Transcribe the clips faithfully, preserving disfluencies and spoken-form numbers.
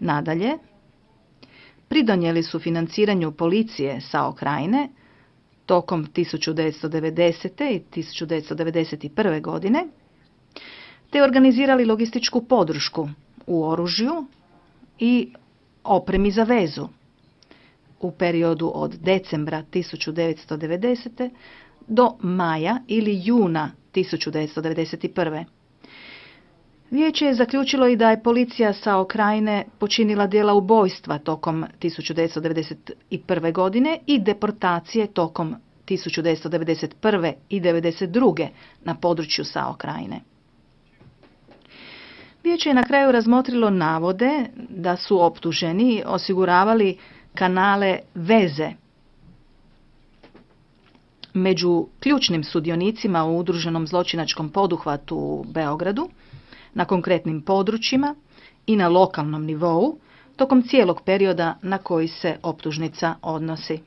Nadalje, pridonijeli su financiranju policije Sao Krajine tokom tisuću devetsto devedesete. i tisuću devetsto devedeset prve. godine, te organizirali logističku podršku u oružju i opremi za vezu u periodu od decembra tisuću devetsto devedesete. do maja ili juna tisuću devetsto devedeset prve. Vijeće je zaključilo i da je policija Sao Krajine počinila djela ubojstva tokom tisuću devetsto devedeset prve. godine i deportacije tokom tisuću devetsto devedeset prve. i devedeset druge. na području Sao Krajine. Vijeće je na kraju razmotrilo navode da su optuženi osiguravali kanale veze među ključnim sudionicima u udruženom zločinačkom poduhvatu u Beogradu, na konkretnim područjima i na lokalnom nivou, tokom cijelog perioda na koji se optužnica odnosi.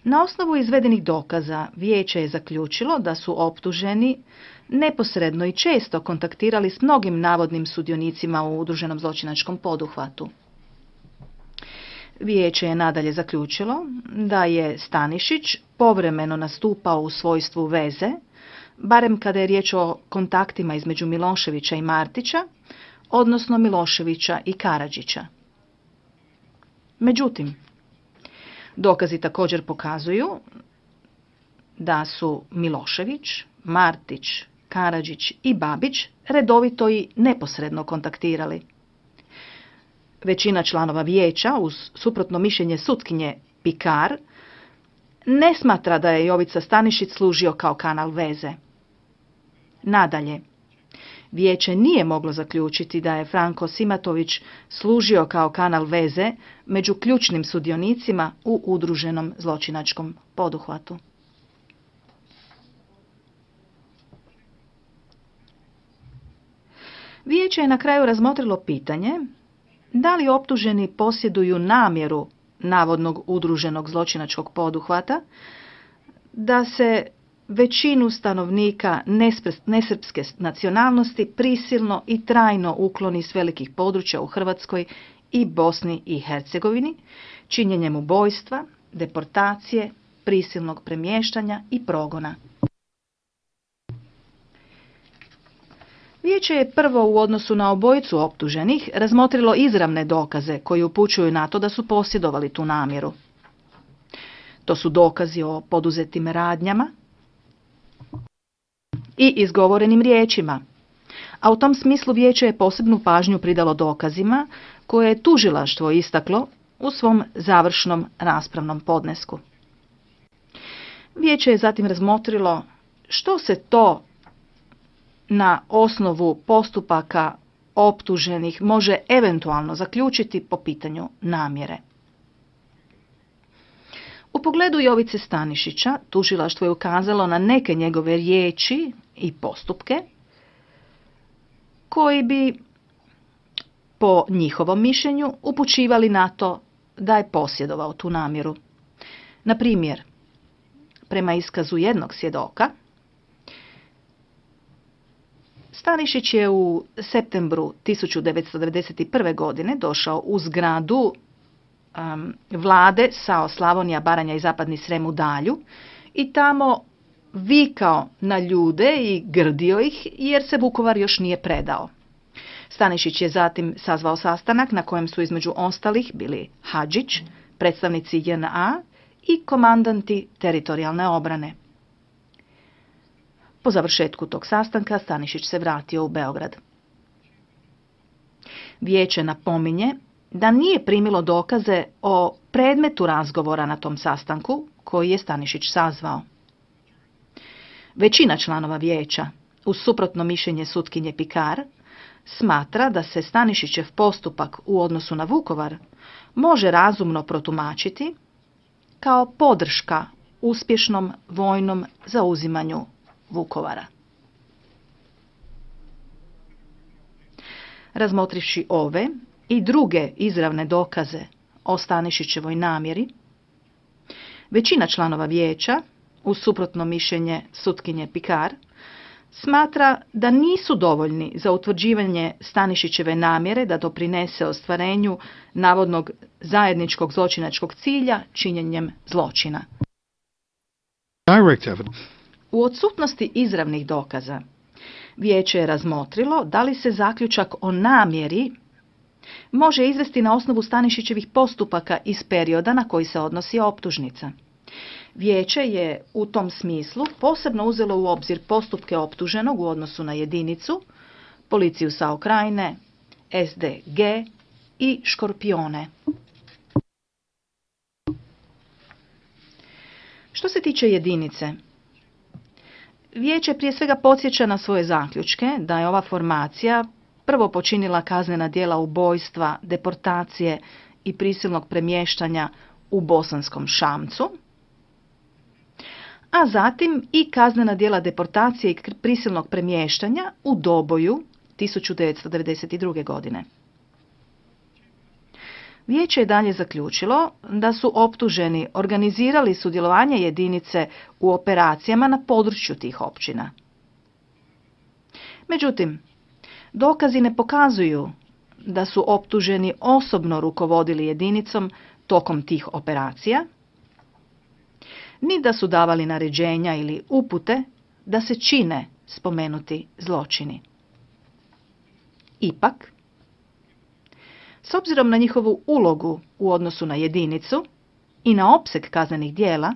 Na osnovu izvedenih dokaza, vijeće je zaključilo da su optuženi neposredno i često kontaktirali s mnogim navodnim sudionicima u udruženom zločinačkom poduhvatu. Vijeće je nadalje zaključilo da je Stanišić povremeno nastupao u svojstvu veze, barem kada je riječ o kontaktima između Miloševića i Martića, odnosno Miloševića i Karadžića. Međutim, dokazi također pokazuju da su Milošević, Martić, Karadžić i Babić redovito i neposredno kontaktirali. Većina članova vijeća, uz suprotno mišljenje sutkinje Pikar, ne smatra da je Jovica Stanišić služio kao kanal veze. Nadalje, vijeće nije moglo zaključiti da je Franko Simatović služio kao kanal veze među ključnim sudionicima u udruženom zločinačkom poduhvatu. Vijeće je na kraju razmotrilo pitanje da li optuženi posjeduju namjeru navodnog udruženog zločinačkog poduhvata da se većinu stanovnika nesrpske nacionalnosti prisilno i trajno ukloni s velikih područja u Hrvatskoj i Bosni i Hercegovini, činjenjem ubojstva, deportacije, prisilnog premještanja i progona. Vijeće je prvo u odnosu na obojicu optuženih razmotrilo izravne dokaze koji upućuju na to da su posjedovali tu namjeru. To su dokazi o poduzetim radnjama i izgovorenim riječima, a u tom smislu vijeće je posebnu pažnju pridalo dokazima koje je tužilaštvo istaklo u svom završnom raspravnom podnesku. Vijeće je zatim razmotrilo što se to na osnovu postupaka optuženih može eventualno zaključiti po pitanju namjere. U pogledu Jovice Stanišića, tužilaštvo je ukazalo na neke njegove riječi i postupke koji bi, po njihovom mišljenju, upućivali na to da je posjedovao tu namjeru. Na primjer, prema iskazu jednog svjedoka, Stanišić je u septembru tisuću devetsto devedeset prve. godine došao u zgradu um, vlade Sao Slavonija, Baranja i Zapadni Srem u Dalju i tamo vikao na ljude i grdio ih jer se Vukovar još nije predao. Stanišić je zatim sazvao sastanak na kojem su između ostalih bili Hadžić, predstavnici J N A i komandanti teritorijalne obrane. Po završetku tog sastanka Stanišić se vratio u Beograd. Vijeće napominje da nije primilo dokaze o predmetu razgovora na tom sastanku koji je Stanišić sazvao. Većina članova vijeća, uz suprotno mišljenje sutkinje Pikar, smatra da se Stanišićev postupak u odnosu na Vukovar može razumno protumačiti kao podrška uspješnom vojnom zauzimanju Vukovara. Razmotrivši ove i druge izravne dokaze o Stanišićevoj namjeri, većina članova vijeća, uz suprotno mišljenje sutkinje Pikar, smatra da nisu dovoljni za utvrđivanje Stanišićeve namjere da doprinese ostvarenju navodnog zajedničkog zločinačkog cilja činjenjem zločina. U odsutnosti izravnih dokaza, vijeće je razmotrilo da li se zaključak o namjeri može izvesti na osnovu Stanišićevih postupaka iz perioda na koji se odnosi optužnica. Vijeće je u tom smislu posebno uzelo u obzir postupke optuženog u odnosu na jedinicu, policiju SAO Krajine, S D G i Škorpione. Što se tiče jedinice, vijeće prije svega podsjeća na svoje zaključke da je ova formacija prvo počinila kaznena djela ubojstva, deportacije i prisilnog premještanja u Bosanskom Šamcu, a zatim i kaznena djela deportacije i prisilnog premještanja u Doboju tisuću devetsto devedeset druge. godine. Vijeće je dalje zaključilo da su optuženi organizirali sudjelovanje jedinice u operacijama na području tih općina. Međutim, dokazi ne pokazuju da su optuženi osobno rukovodili jedinicom tokom tih operacija, ni da su davali naređenja ili upute da se čine spomenuti zločini. Ipak, s obzirom na njihovu ulogu u odnosu na jedinicu i na opseg kaznenih djela,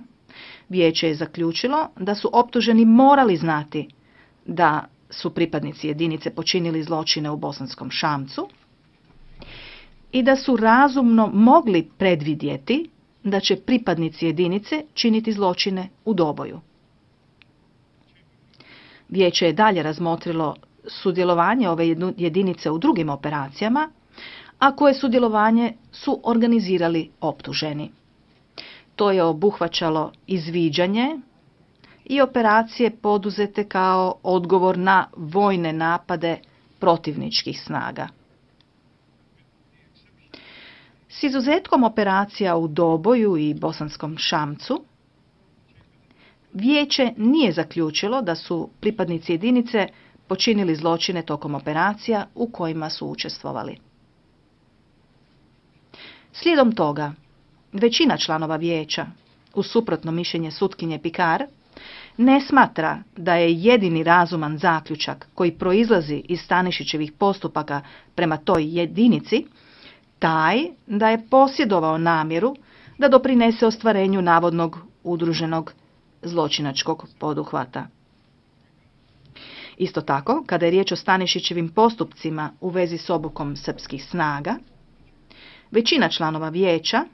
vijeće je zaključilo da su optuženi morali znati da su pripadnici jedinice počinili zločine u Bosanskom Šamcu i da su razumno mogli predvidjeti da će pripadnici jedinice činiti zločine u Doboju. Vijeće je dalje razmotrilo sudjelovanje ove jedinice u drugim operacijama, a koje sudjelovanje su organizirali optuženi. To je obuhvaćalo izviđanje i operacije poduzete kao odgovor na vojne napade protivničkih snaga. S izuzetkom operacija u Doboju i Bosanskom Šamcu, vijeće nije zaključilo da su pripadnici jedinice počinili zločine tokom operacija u kojima su učestvovali. Slijedom toga, većina članova vijeća, uz suprotno mišljenje sutkinje Pikar, ne smatra da je jedini razuman zaključak koji proizlazi iz Stanišićevih postupaka prema toj jedinici taj da je posjedovao namjeru da doprinese ostvarenju navodnog udruženog zločinačkog poduhvata. Isto tako, kada je riječ o Stanišićevim postupcima u vezi s obukom srpskih snaga, većina članova vijeća,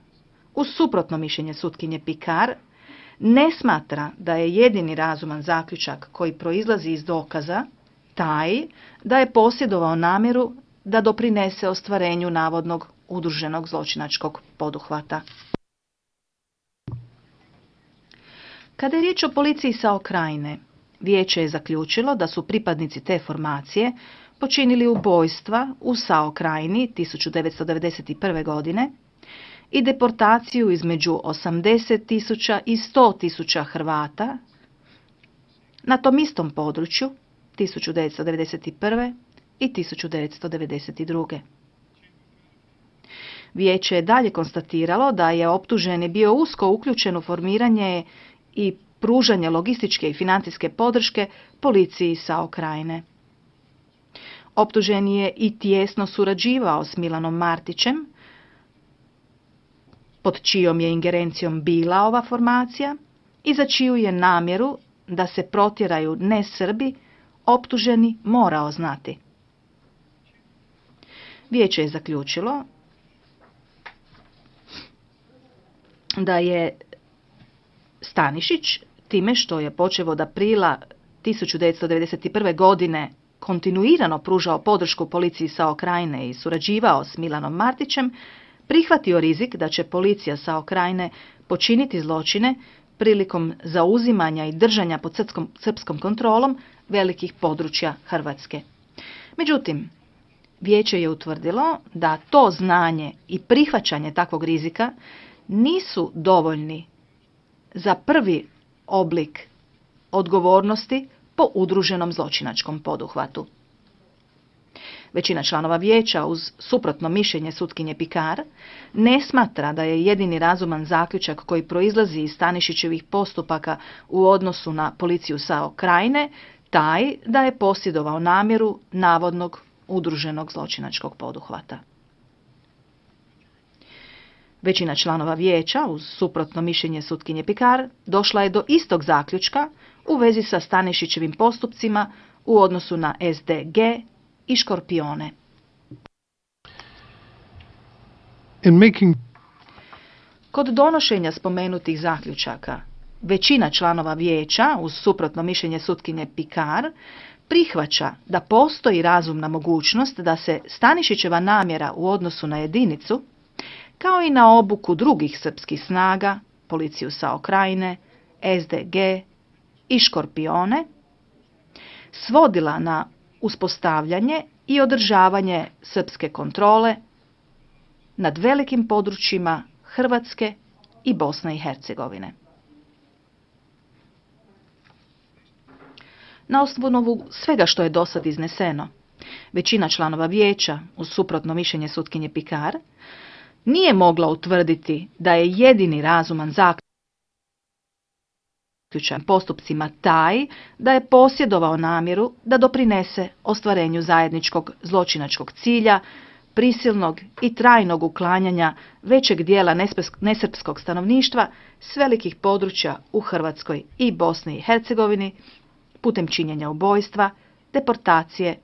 uz suprotno mišljenje sutkinje Pikar, ne smatra da je jedini razuman zaključak koji proizlazi iz dokaza taj da je posjedovao namjeru da doprinese ostvarenju navodnog udruženog zločinačkog poduhvata. Kada je riječ o policiji SAO Krajine, vijeće je zaključilo da su pripadnici te formacije počinili ubojstva u SAO Krajini tisuću devetsto devedeset prve. godine i deportaciju između osamdeset tisuća i sto tisuća Hrvata na tom istom području tisuću devetsto devedeset prve. i tisuću devetsto devedeset druge. Vijeće je dalje konstatiralo da je optuženi bio usko uključen u formiranje i pružanje logističke i financijske podrške policiji SAO Krajine. Optuženi je i tijesno surađivao s Milanom Martićem, pod čijom je ingerencijom bila ova formacija i za čiju je namjeru da se protjeraju ne Srbi optuženi morao znati. Vijeće je zaključilo da je Stanišić, time što je počev od aprila tisuću devetsto devedeset prve. godine kontinuirano pružao podršku policiji SAO Krajine i surađivao s Milanom Martićem, prihvatio rizik da će policija SAO Krajine počiniti zločine prilikom zauzimanja i držanja pod srpskom, srpskom kontrolom velikih područja Hrvatske. Međutim, vijeće je utvrdilo da to znanje i prihvaćanje takvog rizika nisu dovoljni za prvi oblik odgovornosti po udruženom zločinačkom poduhvatu. Većina članova vijeća, uz suprotno mišljenje sutkinje Picard, ne smatra da je jedini razuman zaključak koji proizlazi iz Stanišićevih postupaka u odnosu na policiju Sao Krajine taj da je posjedovao namjeru navodnog udruženog zločinačkog poduhvata. Većina članova vijeća, uz suprotno mišljenje sutkinje Picard, došla je do istog zaključka u vezi sa Stanišićevim postupcima u odnosu na S D G i Škorpione. In making... Kod donošenja spomenutih zaključaka, većina članova vijeća, uz suprotno mišljenje sutkinje Picard, prihvaća da postoji razumna mogućnost da se Stanišićeva namjera u odnosu na jedinicu, kao i na obuku drugih srpskih snaga, policiju Sao Krajine, S D G i Škorpione, svodila na uspostavljanje i održavanje srpske kontrole nad velikim područjima Hrvatske i Bosne i Hercegovine. Na osnovu svega što je dosad izneseno, većina članova vijeća, uz suprotno mišljenje sutkinje Picard, nije mogla utvrditi da je jedini razuman zaključak postupcima taj da je posjedovao namjeru da doprinese ostvarenju zajedničkog zločinačkog cilja, prisilnog i trajnog uklanjanja većeg dijela nesrpskog stanovništva s velikih područja u Hrvatskoj i Bosni i Hercegovini putem činjenja ubojstva, deportacije,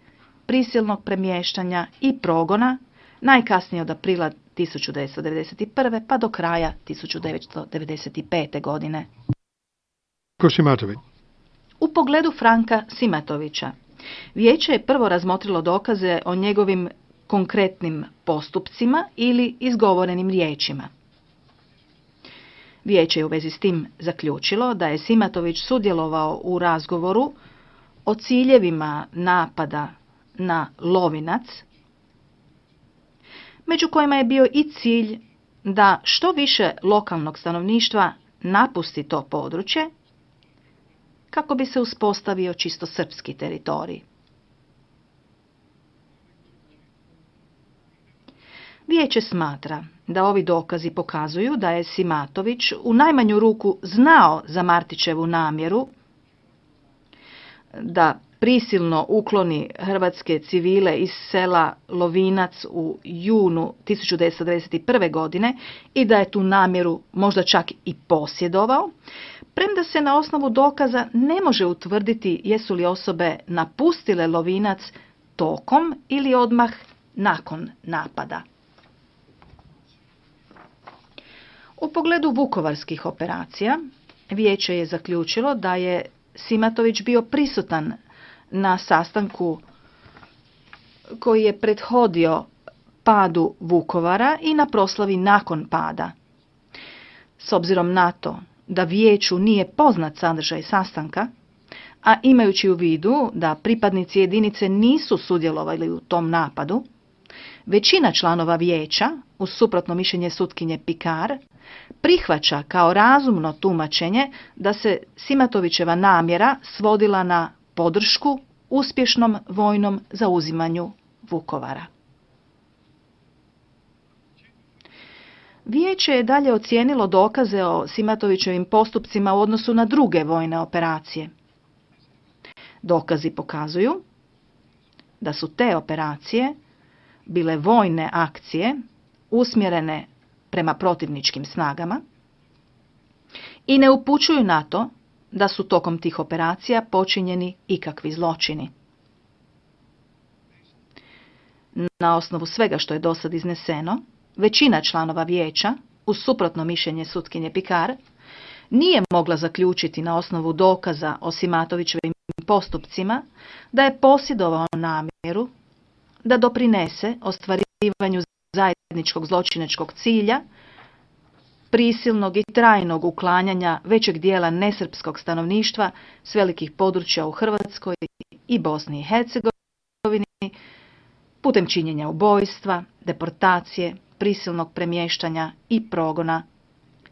prisilnog premještanja i progona, najkasnije od aprila tisuću devetsto devedeset prve pa do kraja tisuću devetsto devedeset pete. godine. U pogledu Franka Simatovića, vijeće je prvo razmotrilo dokaze o njegovim konkretnim postupcima ili izgovorenim riječima. Vijeće je u vezi s tim zaključilo da je Simatović sudjelovao u razgovoru o ciljevima napada na Lovinac, među kojima je bio i cilj da što više lokalnog stanovništva napusti to područje kako bi se uspostavio čisto srpski teritorij. Vijeće smatra da ovi dokazi pokazuju da je Simatović u najmanju ruku znao za Martićevu namjeru da prisilno ukloni hrvatske civile iz sela Lovinac u junu tisuću devetsto devedeset prve. godine i da je tu namjeru možda čak i posjedovao, premda se na osnovu dokaza ne može utvrditi jesu li osobe napustile Lovinac tokom ili odmah nakon napada. U pogledu vukovarskih operacija, vijeće je zaključilo da je Simatović bio prisutan na sastanku koji je prethodio padu Vukovara i na proslavi nakon pada. S obzirom na to da vijeću nije poznat sadržaj sastanka, a imajući u vidu da pripadnici jedinice nisu sudjelovali u tom napadu, većina članova vijeća, uz suprotno mišljenje sutkinje Picard, prihvaća kao razumno tumačenje da se Simatovićeva namjera svodila na podršku uspješnom vojnom zauzimanju Vukovara. Vijeće je dalje ocijenilo dokaze o Simatovićevim postupcima u odnosu na druge vojne operacije. Dokazi pokazuju da su te operacije bile vojne akcije usmjerene prema protivničkim snagama i ne upućuju na to da su tokom tih operacija počinjeni ikakvi zločini. Na osnovu svega što je dosad izneseno, većina članova vijeća, uz suprotno mišljenje sutkinje Picard, nije mogla zaključiti na osnovu dokaza o Simatovićevim postupcima da je posjedovao namjeru da doprinese ostvarivanju zajedničkog zločinačkog cilja, prisilnog i trajnog uklanjanja većeg dijela nesrpskog stanovništva s velikih područja u Hrvatskoj i Bosni i Hercegovini putem činjenja ubojstva, deportacije, prisilnog premještanja i progona,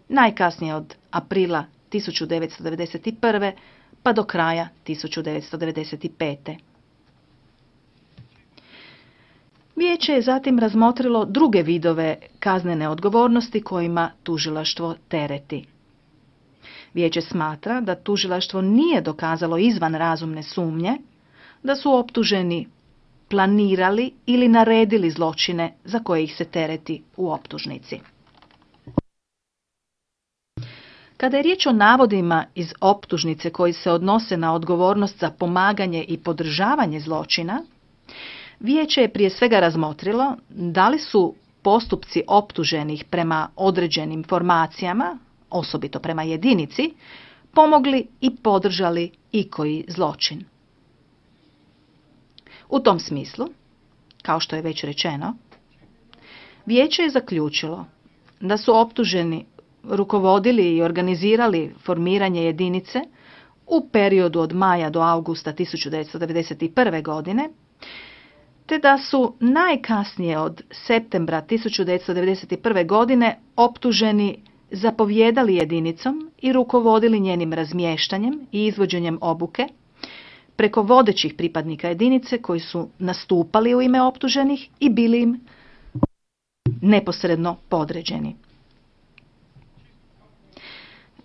najkasnije od aprila tisuću devetsto devedeset prve. pa do kraja tisuću devetsto devedeset pete. Vijeće je zatim razmotrilo druge vidove kaznene odgovornosti kojima tužilaštvo tereti. Vijeće smatra da tužilaštvo nije dokazalo izvan razumne sumnje da su optuženi planirali ili naredili zločine za koje ih se tereti u optužnici. Kada je riječ o navodima iz optužnice koji se odnose na odgovornost za pomaganje i podržavanje zločina, Vijeće je prije svega razmotrilo da li su postupci optuženih prema određenim formacijama, osobito prema jedinici, pomogli i podržali ikoji zločin. U tom smislu, kao što je već rečeno, Vijeće je zaključilo da su optuženi rukovodili i organizirali formiranje jedinice u periodu od maja do augusta tisuću devetsto devedeset prve. godine, te da su najkasnije od septembra tisuću devetsto devedeset prve. godine optuženi zapovjedali jedinicom i rukovodili njenim razmještanjem i izvođenjem obuke preko vodećih pripadnika jedinice koji su nastupali u ime optuženih i bili im neposredno podređeni.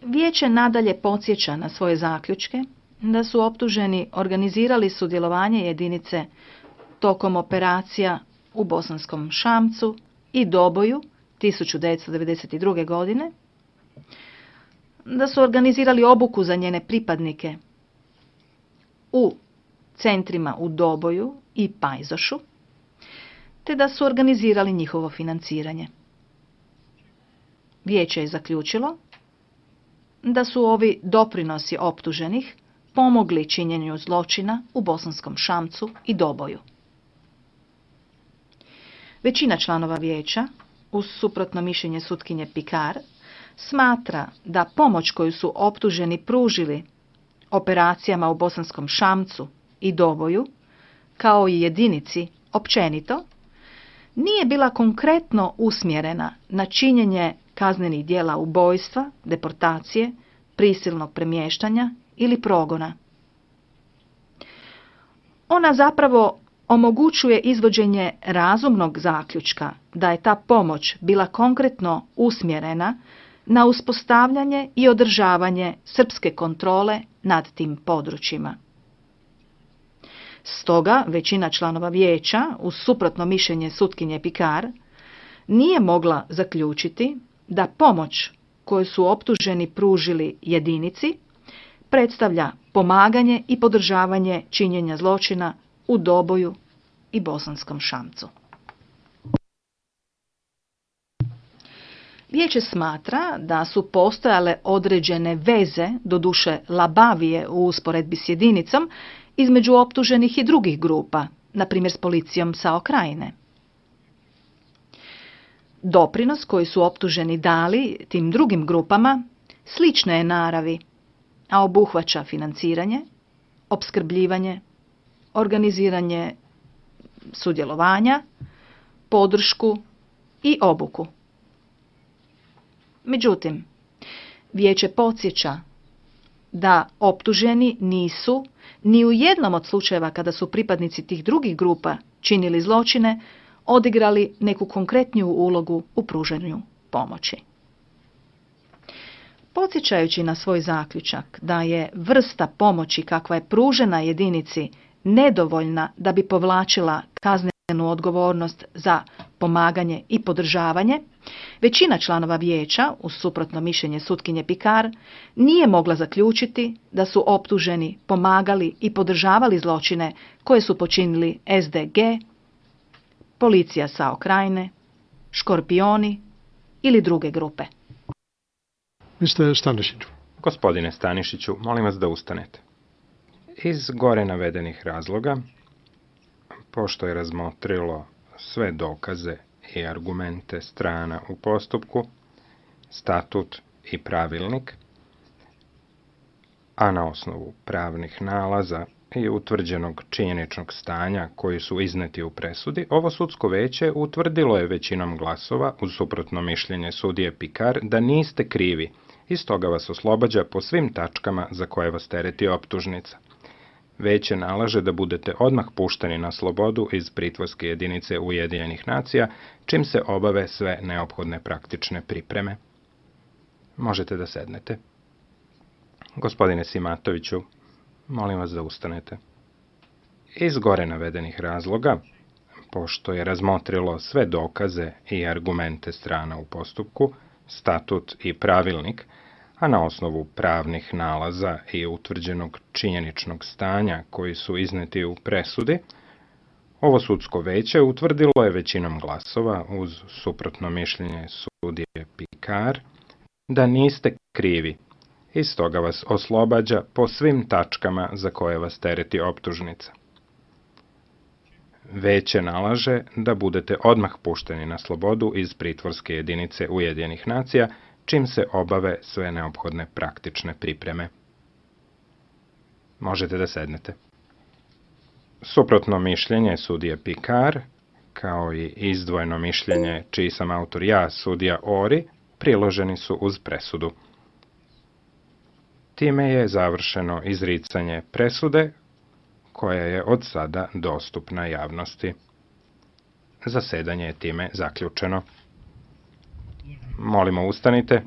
Vijeće nadalje podsjeća na svoje zaključke da su optuženi organizirali sudjelovanje jedinice tokom operacija u Bosanskom Šamcu i Doboju tisuću devetsto devedeset druge. godine, da su organizirali obuku za njene pripadnike u centrima u Doboju i Pajzošu, te da su organizirali njihovo financiranje. Vijeće je zaključilo da su ovi doprinosi optuženih pomogli činjenju zločina u Bosanskom Šamcu i Doboju. Većina članova vijeća, uz suprotno mišljenje sutkinje Pikar, smatra da pomoć koju su optuženi pružili operacijama u Bosanskom Šamcu i Doboju, kao i jedinici općenito, nije bila konkretno usmjerena na činjenje kaznenih djela ubojstva, deportacije, prisilnog premještanja ili progona. Ona zapravo omogućuje izvođenje razumnog zaključka da je ta pomoć bila konkretno usmjerena na uspostavljanje i održavanje srpske kontrole nad tim područjima. Stoga većina članova vijeća, uz suprotno mišljenje sutkinje Pikar, nije mogla zaključiti da pomoć koju su optuženi pružili jedinici predstavlja pomaganje i podržavanje činjenja zločina u Doboju i Bosanskom Šamcu. Vijeće smatra da su postojale određene veze, doduše labavije u usporedbi s jedinicom, između optuženih i drugih grupa, na primjer s policijom SAO Krajine. Doprinos koji su optuženi dali tim drugim grupama slične je naravi, a obuhvaća financiranje, opskrbljivanje, organiziranje sudjelovanja, podršku i obuku. Međutim, vijeće podsjeća da optuženi nisu ni u jednom od slučajeva kada su pripadnici tih drugih grupa činili zločine odigrali neku konkretniju ulogu u pružanju pomoći. Podsjećajući na svoj zaključak da je vrsta pomoći kakva je pružena jedinici nedovoljna da bi povlačila kaznenu odgovornost za pomaganje i podržavanje, većina članova vijeća, uz suprotno mišljenje sutkinje Pikar, nije mogla zaključiti da su optuženi pomagali i podržavali zločine koje su počinili S D G, policija SAO Krajine, Škorpioni ili druge grupe. mister Stanišić. Gospodine Stanišiću, molim vas da ustanete. Iz gore navedenih razloga, pošto je razmotrilo sve dokaze i argumente strana u postupku, statut i pravilnik, a na osnovu pravnih nalaza i utvrđenog činjeničnog stanja koji su izneti u presudi, ovo sudsko veće utvrdilo je većinom glasova, uz suprotno mišljenje sudije Pikar, da niste krivi i stoga vas oslobađa po svim tačkama za koje vas tereti optužnica. Veće nalaže da budete odmah pušteni na slobodu iz pritvorske jedinice Ujedinjenih nacija, čim se obave sve neophodne praktične pripreme. Možete da sednete. Gospodine Simatoviću, molim vas da ustanete. Iz gore navedenih razloga, pošto je razmotrilo sve dokaze i argumente strana u postupku, statut i pravilnik, a na osnovu pravnih nalaza i utvrđenog činjeničnog stanja koji su izneti u presudi, ovo sudsko veće utvrdilo je većinom glasova uz suprotno mišljenje sudije Pikar da niste krivi i stoga vas oslobađa po svim tačkama za koje vas tereti optužnica. Veće nalaže da budete odmah pušteni na slobodu iz pritvorske jedinice Ujedinjenih nacija, čim se obave sve neophodne praktične pripreme. Možete da sednete. Suprotno mišljenje sudije Pikar, kao i izdvojeno mišljenje čiji sam autor ja, sudija Ori, priloženi su uz presudu. Time je završeno izricanje presude, koja je od sada dostupna javnosti. Zasedanje je time zaključeno. Molimo, ustanite.